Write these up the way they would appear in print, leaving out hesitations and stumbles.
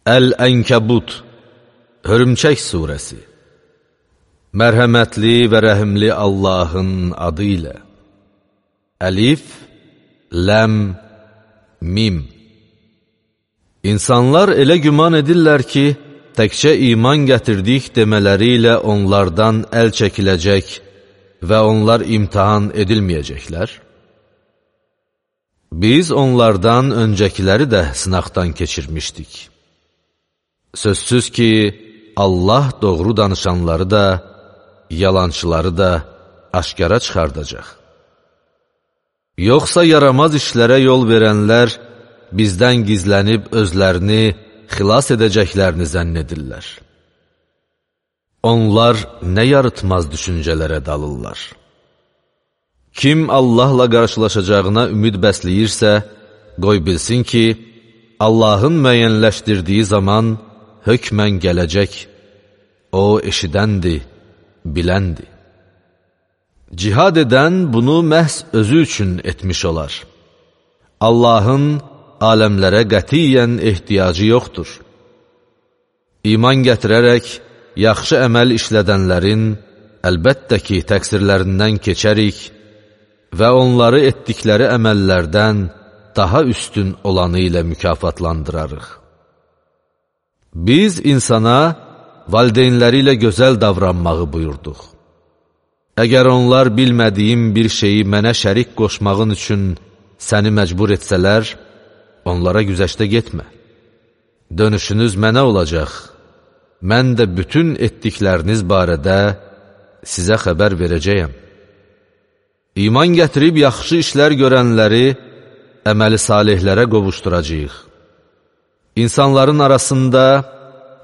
Əl-Ənkəbut, Hörümçək surəsi. Mərhəmətli və rəhimli Allahın adı ilə. Əlif, Ləm, Mim. İnsanlar elə güman edirlər ki, təkcə iman gətirdik demələri ilə onlardan əl çəkiləcək və onlar imtihan edilməyəcəklər. Biz onlardan öncəkiləri də sınaqdan keçirmişdik. Sözsüz ki, Allah doğru danışanları da, yalançıları da aşkara çıxardacaq. Yoxsa yaramaz işlərə yol verənlər bizdən gizlənib özlərini xilas edəcəklərini zənn edirlər. Onlar nə yarıtmaz düşüncələrə dalırlar. Kim Allahla qarşılaşacağına ümid bəsləyirsə, qoy bilsin ki, Allahın müəyyənləşdirdiyi zaman hökmən gələcək. O eşidəndir, biləndir. Cihad edən bunu məhz özü üçün etmiş olar. Allahın aləmlərə qətiyyən ehtiyacı yoxdur. İman gətirərək yaxşı əməl işlədənlərin əlbəttə ki, təqsirlərindən keçərik və onları etdikləri əməllərdən daha üstün olanı ilə mükafatlandırarıq. Biz insana valideynləri ilə gözəl davranmağı buyurduq. Əgər onlar bilmədiyim bir şeyi mənə şərik qoşmağın üçün səni məcbur etsələr, onlara güzəştə getmə. Dönüşünüz mənə olacaq. Mən də bütün etdikləriniz barədə sizə xəbər verəcəyəm. İman gətirib yaxşı işlər görənləri əməli salihlərə qovuşduracağıq. İnsanların arasında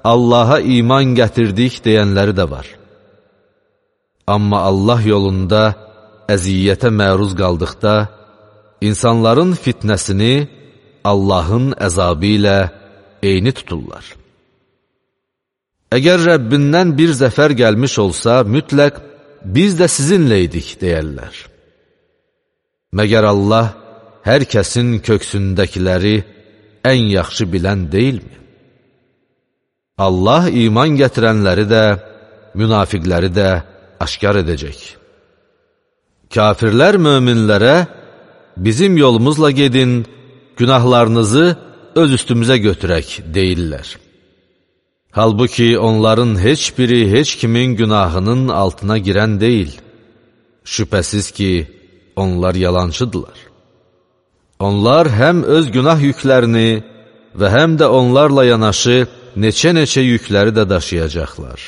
Allaha iman gətirdik deyənləri də var. Amma Allah yolunda əziyyətə məruz qaldıqda, insanların fitnəsini Allahın əzabı ilə eyni tuturlar. Əgər Rəbbindən bir zəfər gəlmiş olsa, mütləq biz də sizinlə idik deyərlər. Məgər Allah hər kəsin köksündəkiləri ən yaxşı bilən deyilmi? Allah iman gətirənləri də, münafiqləri də aşkar edəcək. Kafirlər möminlərə, bizim yolumuzla gedin, günahlarınızı öz üstümüzə götürək deyirlər. Halbuki onların heç biri heç kimin günahının altına girən deyil. Şübhəsiz ki, onlar yalancıdırlar. Onlar həm öz günah yüklərini və həm də onlarla yanaşı neçə-neçə yükləri də daşıyacaqlar.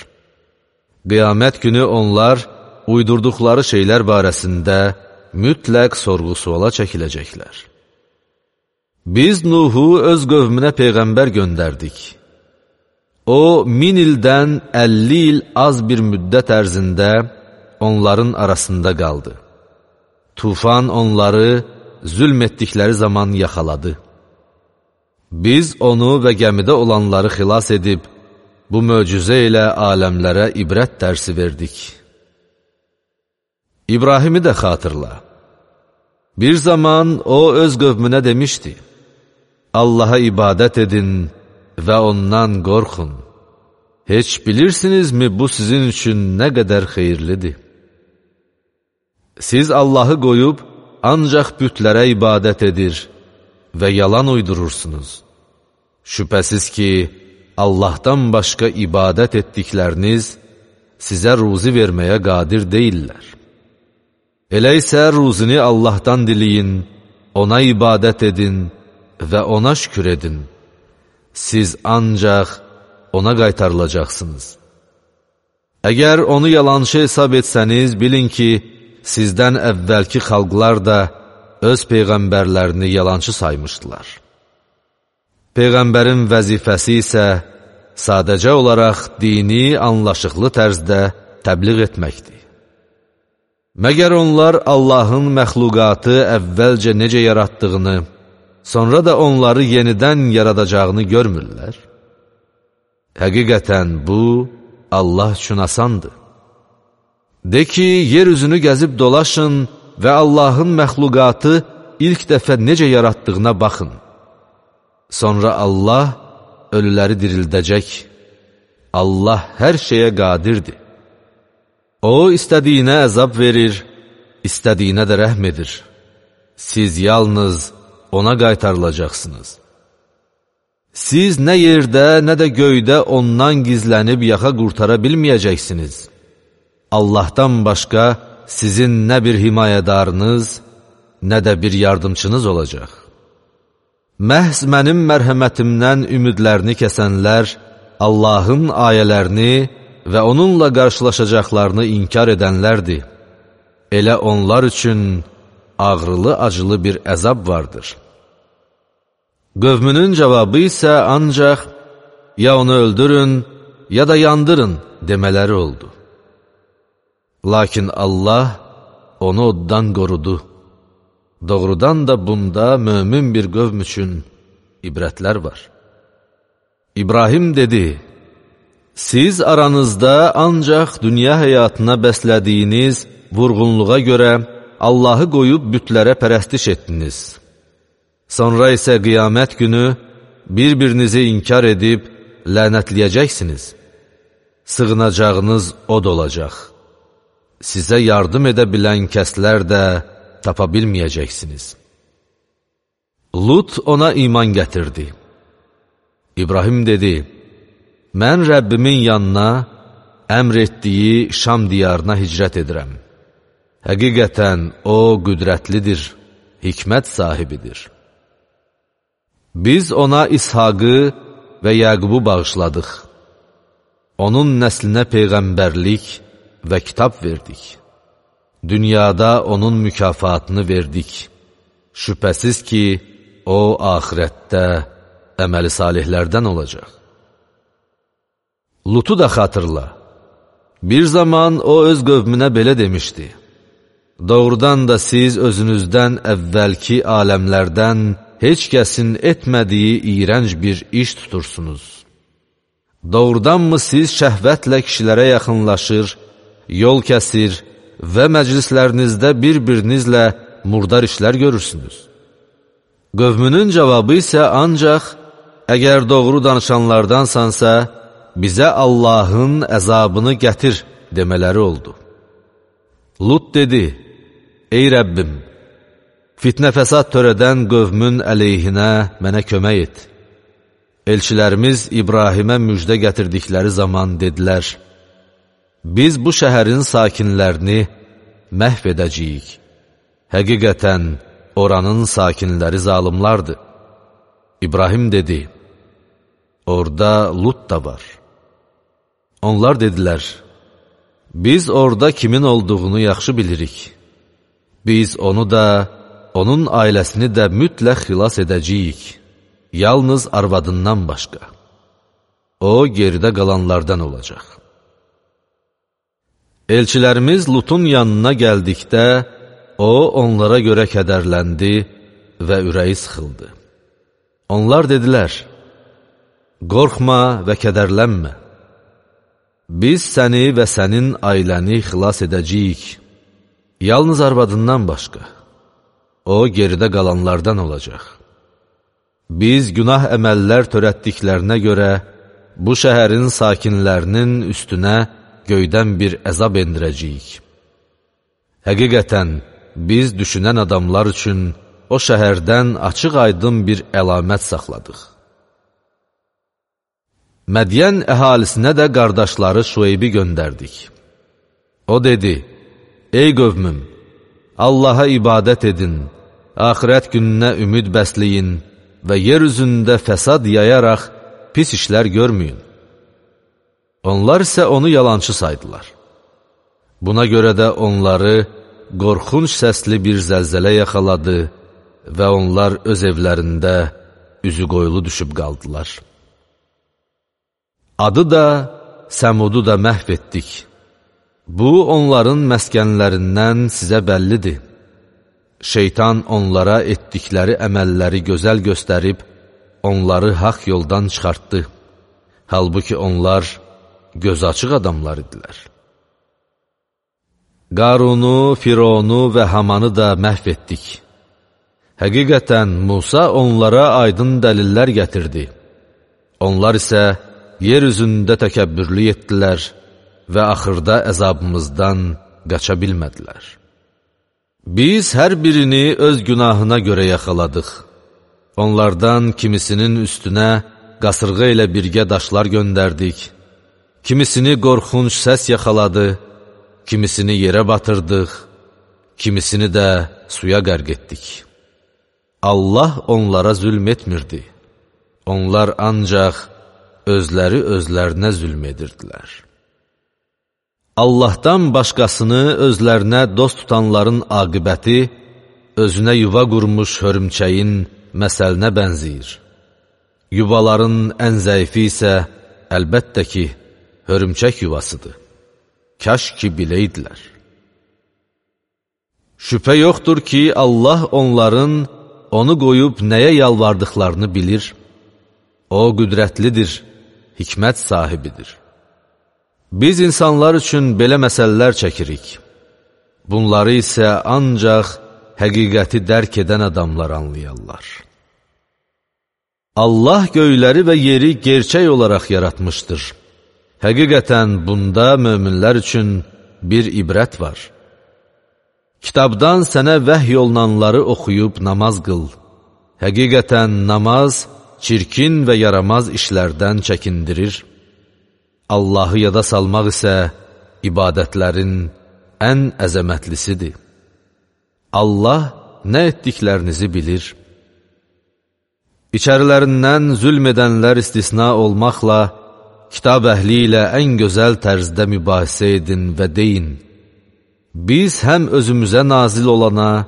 Qiyamət günü onlar uydurduqları şeylər barəsində mütləq sorğu-suala çəkiləcəklər. Biz Nuhu öz qövmünə peyğəmbər göndərdik. O, 1000 ildən 50 il az bir müddət ərzində onların arasında qaldı. Tufan onları zülm etdikləri zaman yaxaladı. Biz onu və gəmidə olanları xilas edib, bu möcüzə ilə aləmlərə ibrət dərsi verdik. İbrahimi də xatırla. Bir zaman o öz qövmünə demişdi, Allaha ibadət edin və ondan qorxun. Heç bilirsinizmi bu sizin üçün nə qədər xeyirlidir? Siz Allahı qoyub, ancaq bütlərə ibadət edir və yalan uydurursunuz. Şübhəsiz ki, Allahdan başqa ibadət etdikləriniz sizə ruzi verməyə qadir deyirlər. Elə isə ruzini Allahdan diləyin, ona ibadət edin və ona şükür edin. Siz ancaq ona qaytarılacaqsınız. Əgər onu yalançı hesab etsəniz, bilin ki, sizdən əvvəlki xalqlar da öz peyğəmbərlərini yalançı saymışdılar. Peyğəmbərin vəzifəsi isə sadəcə olaraq dini anlaşıqlı tərzdə təbliğ etməkdir. Məgər onlar Allahın məxluqatı əvvəlcə necə yaratdığını, sonra da onları yenidən yaradacağını görmürlər? Həqiqətən bu, Allah üçün asandır. De ki, yer üzünü gəzib dolaşın və Allahın məxluqatı ilk dəfə necə yaratdığına baxın. Sonra Allah ölüləri dirildəcək. Allah hər şeyə qadirdir. O, istədiyinə əzab verir, istədiyinə də rəhm edir. Siz yalnız ona qaytarılacaqsınız. Siz nə yerdə, nə də göydə ondan gizlənib yaxa qurtara bilməyəcəksiniz. Allahdan başqa sizin nə bir himayədarınız, nə də bir yardımçınız olacaq. Məhz mənim mərhəmətimdən ümidlərini kəsənlər, Allahın ayələrini və onunla qarşılaşacaqlarını inkar edənlərdir. Elə onlar üçün ağrılı-acılı bir əzab vardır. Qövmünün cavabı isə ancaq, ya onu öldürün, ya da yandırın demələri oldu. Lakin Allah onu oddan qorudu. Doğrudan da bunda mömin bir qövm üçün ibrətlər var. İbrahim dedi, siz aranızda ancaq dünya həyatına bəslədiyiniz vurğunluğa görə Allahı qoyub bütlərə pərəstiş etdiniz. Sonra isə qiyamət günü bir-birinizi inkar edib lənətləyəcəksiniz. Sığınacağınız od olacaq. Sizə yardım edə bilən kəslər də tapa bilməyəcəksiniz. Lut ona iman gətirdi. İbrahim dedi, mən Rəbbimin yanına, əmr etdiyi Şam diyarına hicrət edirəm. Həqiqətən o qüdrətlidir, hikmət sahibidir. Biz ona İshaqı və Yaqubu bağışladıq. Onun nəslinə peyğəmbərlik və kitab verdik. Dünyada onun mükafatını verdik. Şübhəsiz ki, o axirətdə əməli salihlərdən olacaq. Lutu da xatırla. Bir zaman o öz qövmünə belə demişdi. Doğrudan da siz özünüzdən əvvəlki aləmlərdən heç kəsin etmədiyi iyrənc bir iş tutursunuz. Doğrudanmı siz şəhvətlə kişilərə yaxınlaşır, yol kəsir və məclislərinizdə bir-birinizlə murdar işlər görürsünüz? Qövmünün cavabı isə ancaq, əgər doğru danışanlardansansa, bizə Allahın əzabını gətir demələri oldu. Lut dedi, ey Rəbbim, fitnə fəsad törədən qövmün əleyhinə mənə kömək et. Elçilərimiz İbrahimə müjdə gətirdikləri zaman dedilər, biz bu şəhərin sakinlərini məhv edəcəyik. Həqiqətən oranın sakinləri zalımlardır. İbrahim dedi, orada Lut da var. Onlar dedilər, biz orada kimin olduğunu yaxşı bilirik. Biz onu da, onun ailəsini də mütləq xilas edəcəyik. Yalnız arvadından başqa. O, geridə qalanlardan olacaq. Elçilərimiz Lutun yanına gəldikdə, o, onlara görə kədərləndi və ürəyi sıxıldı. Onlar dedilər, qorxma və kədərlənmə. Biz səni və sənin ailəni xilas edəcəyik. Yalnız arvadından başqa. O, geridə qalanlardan olacaq. Biz günah əməllər törətdiklərinə görə bu şəhərin sakinlərinin üstünə göydən bir əzab endirəcəyik. Həqiqətən, biz düşünən adamlar üçün o şəhərdən açıq-aydın bir əlamət saxladıq. Mədiyən əhalisinə də qardaşları Şueybi göndərdik. O dedi, ey qövmüm, Allaha ibadət edin, axirət gününə ümid bəsləyin və yer üzündə fəsad yayaraq pis işlər görməyin. Onlar isə onu yalançı saydılar. Buna görə də onları qorxunc səsli bir zəlzələ yaxaladı və onlar öz evlərində üzü qoyulu düşüb qaldılar. Adı da, Səmudu da məhv etdik. Bu, onların məskənlərindən sizə bəllidir. Şeytan onlara etdikləri əməlləri gözəl göstərib, onları haqq yoldan çıxartdı. Halbuki onlar göz açıq adamlar idilər. Qarunu, Fironu və Hamanı da məhv etdik. Həqiqətən Musa onlara aydın dəlillər gətirdi. Onlar isə yer üzündə təkəbbürlü etdilər və axırda əzabımızdan qaça bilmədilər. Biz hər birini öz günahına görə yaxaladıq. Onlardan kimisinin üstünə qasırğa ilə birgə daşlar göndərdik, kimisini qorxunc səs yaxaladı, kimisini yerə batırdıq, kimisini də suya qərq etdik. Allah onlara zülm etmirdi. Onlar ancaq özləri özlərinə zülm edirdilər. Allahdan başqasını özlərinə dost tutanların aqibəti özünə yuva qurmuş hörümçəyin məsəlinə bənzəyir. Yuvaların ən zəifi isə əlbəttə ki, hörümçək yuvasıdır. Kaş ki biləydilər. Şübhə yoxdur ki, Allah onların onu qoyub nəyə yalvardıqlarını bilir. O qüdrətlidir, hikmət sahibidir. Biz insanlar üçün belə məsələlər çəkirik. Bunları isə ancaq həqiqəti dərk edən adamlar anlayarlar. Allah göyləri və yeri gerçək olaraq yaratmışdır. Həqiqətən bunda möminlər üçün bir ibrət var. Kitabdan sənə vəhy olunanları oxuyub namaz qıl. Həqiqətən namaz çirkin və yaramaz işlərdən çəkindirir. Allahı yada salmaq isə ibadətlərin ən əzəmətlisidir. Allah nə etdiklərinizi bilir. İçərilərindən zülm edənlər istisna olmaqla, kitab əhli ilə ən gözəl tərzdə mübahisə edin və deyin, biz həm özümüzə nazil olana,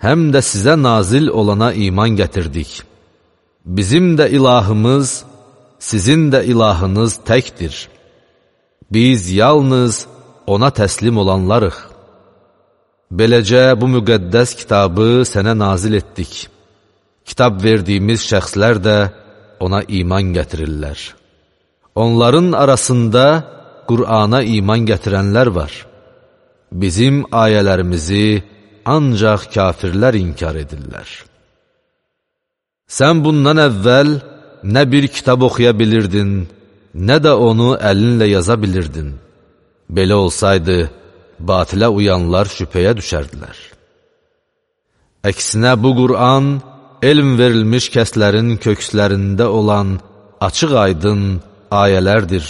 həm də sizə nazil olana iman gətirdik. Bizim də ilahımız, sizin də ilahınız təkdir. Biz yalnız ona təslim olanlarıq. Beləcə bu müqəddəs kitabı sənə nazil etdik. Kitab verdiyimiz şəxslər də ona iman gətirirlər. Onların arasında Qur'ana iman gətirənlər var. Bizim ayələrimizi ancaq kafirlər inkar edirlər. Sən bundan əvvəl nə bir kitab oxuya bilirdin, nə də onu əlinlə yaza bilirdin. Belə olsaydı, batilə uyanlar şübhəyə düşərdilər. Əksinə bu Qur'an, elm verilmiş kəslərin kökslərində olan açıq-aydın ayələrdir.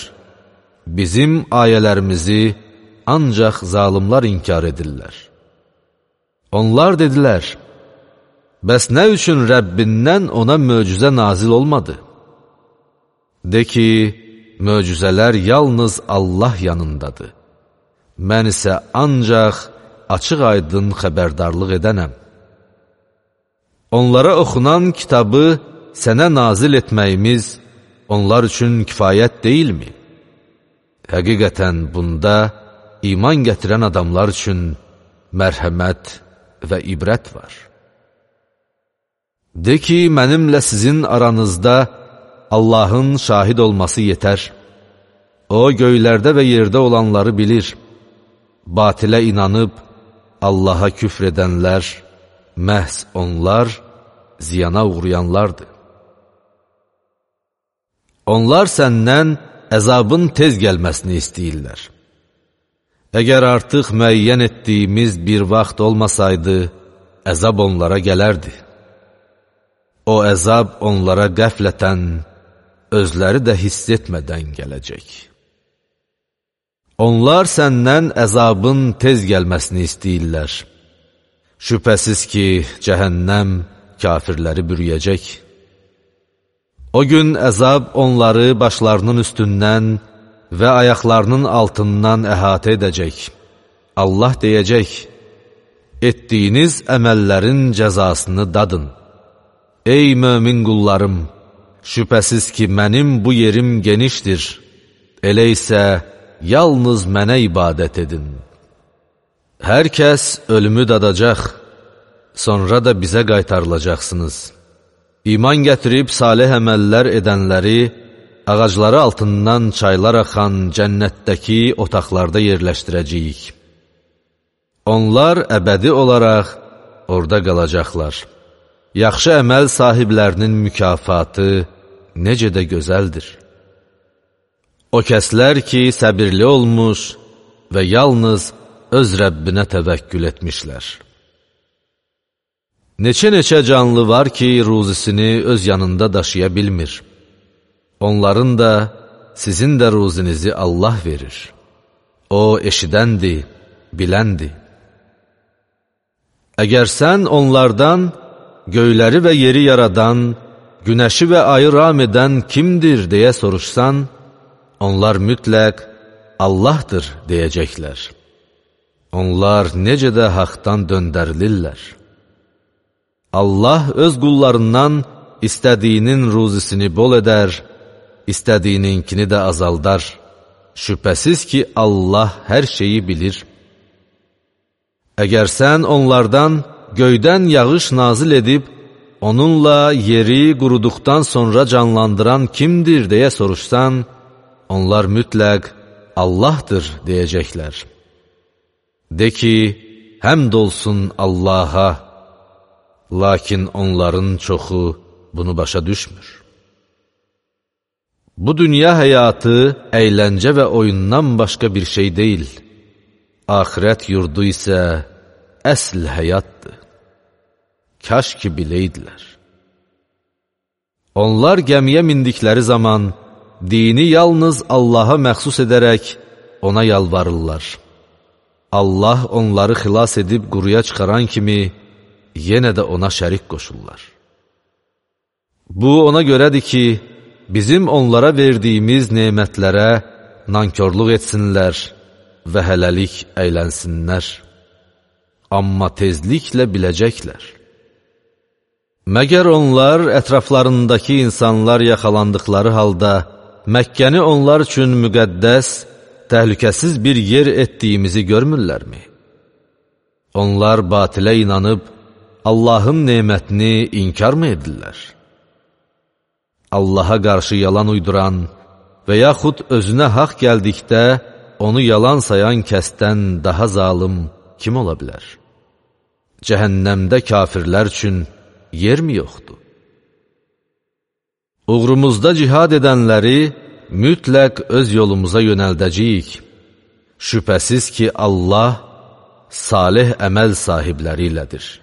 Bizim ayələrimizi ancaq zalimlar inkar edirlər. Onlar dedilər, bəs nə üçün Rəbbindən ona möcüzə nazil olmadı? De ki, möcüzələr yalnız Allah yanındadır. Mən isə ancaq açıq-aydın xəbərdarlıq edənəm. Onlara oxunan kitabı sənə nazil etməyimiz onlar üçün kifayət deyilmi? Həqiqətən bunda iman gətirən adamlar üçün mərhəmət və ibrət var. De ki, mənimlə sizin aranızda Allahın şahid olması yetər. O, göylərdə və yerdə olanları bilir. Batilə inanıb Allaha küfr edənlər, məhz onlar ziyana uğrayanlardır. Onlar səndən əzabın tez gəlməsini istəyirlər. Əgər artıq müəyyən etdiyimiz bir vaxt olmasaydı, əzab onlara gələrdi. O əzab onlara qəflətən, özləri də hiss etmədən gələcək. Onlar səndən əzabın tez gəlməsini istəyirlər. Şübhəsiz ki, cəhənnəm kafirləri bürüyəcək. O gün əzab onları başlarının üstündən və ayaqlarının altından əhatə edəcək. Allah deyəcək, etdiyiniz əməllərin cəzasını dadın. Ey mömin qullarım, şübhəsiz ki, mənim bu yerim genişdir. Elə isə yalnız mənə ibadət edin. Hər kəs ölümü dadacaq, sonra da bizə qaytarılacaqsınız. İman gətirib salih əməllər edənləri, ağacları altından çaylar axan cənnətdəki otaqlarda yerləşdirəcəyik. Onlar əbədi olaraq orada qalacaqlar. Yaxşı əməl sahiblərinin mükafatı necə də gözəldir. O kəslər ki, səbirli olmuş və yalnız öz Rəbbinə təvəkkül etmişlər. Neçə canlı var ki, ruzisini öz yanında daşıya bilmir. Onların da, sizin də ruzinizi Allah verir. O, eşidəndir, biləndir. Əgər sən onlardan göyləri və yeri yaradan, günəşi və ayı ram edən kimdir deyə soruşsan, onlar mütləq Allahdır deyəcəklər. Onlar necə də haqdan döndərilirlər. Allah öz qullarından istədiyinin ruzisini bol edər, istədiyininkini də azaldar. Şübhəsiz ki, Allah hər şeyi bilir. Əgər sən onlardan göydən yağış nazil edib, onunla yeri quruduqdan sonra canlandıran kimdir deyə soruşsan, onlar mütləq Allahdır deyəcəklər. De ki, həmd olsun Allaha, lakin onların çoxu bunu başa düşmür. Bu dünya həyatı əyləncə və oyundan başqa bir şey deyil. Axirət yurdu isə əsl həyatdır. Kaş ki biləydilər. Onlar gəmiyə mindikləri zaman dini yalnız Allaha məxsus edərək ona yalvarırlar. Allah onları xilas edib quruya çıxaran kimi yenə də ona şərik qoşurlar. Bu ona görədir ki, bizim onlara verdiyimiz nemətlərə nankörlük etsinlər və hələlik əylənsinlər. Amma tezliklə biləcəklər. Məgər onlar ətraflarındakı insanlar yaxalandıqları halda Məkkəni onlar üçün müqəddəs, təhlükəsiz bir yer etdiyimizi görmürlərmi? Onlar batilə inanıb Allahın nemətini inkar mı edirlər? Allaha qarşı yalan uyduran və yaxud özünə haqq gəldikdə onu yalan sayan kəsdən daha zalım kim ola bilər? Cəhənnəmdə kafirlər üçün yer mi yoxdur? Uğrumuzda cihad edənləri mütləq öz yolumuza yönəldəcəyik. Şübhəsiz ki, Allah salih əməl sahibləri ilədir.